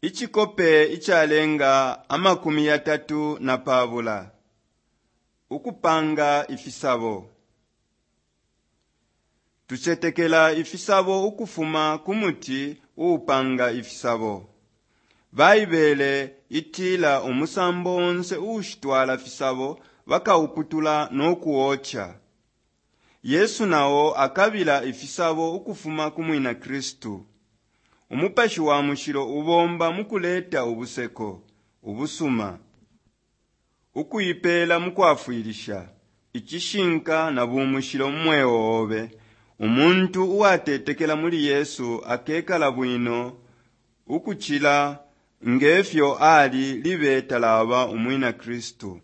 Icikope icalenga 32. Ukupanga ifisabo. Tucetekela ifisabo ukufuma ku muti uupanga ifisabo. Baibele itila umusambo onse uushitwala fisabo bakauputula no kuoca. Yesu nao akabila ifisabo ukufuma ku mwina Kristu. Umupashi wa Mushilo ubomba mu kuleta ubuseko, ubusuma, ukuipeela mu kwafwilisha, icishinka na bumushilo mu mweo obe. Umuntu uwatetekela muli Yesu akekala bwino ukucila ngefyo ali libe talaba umwina Kristu.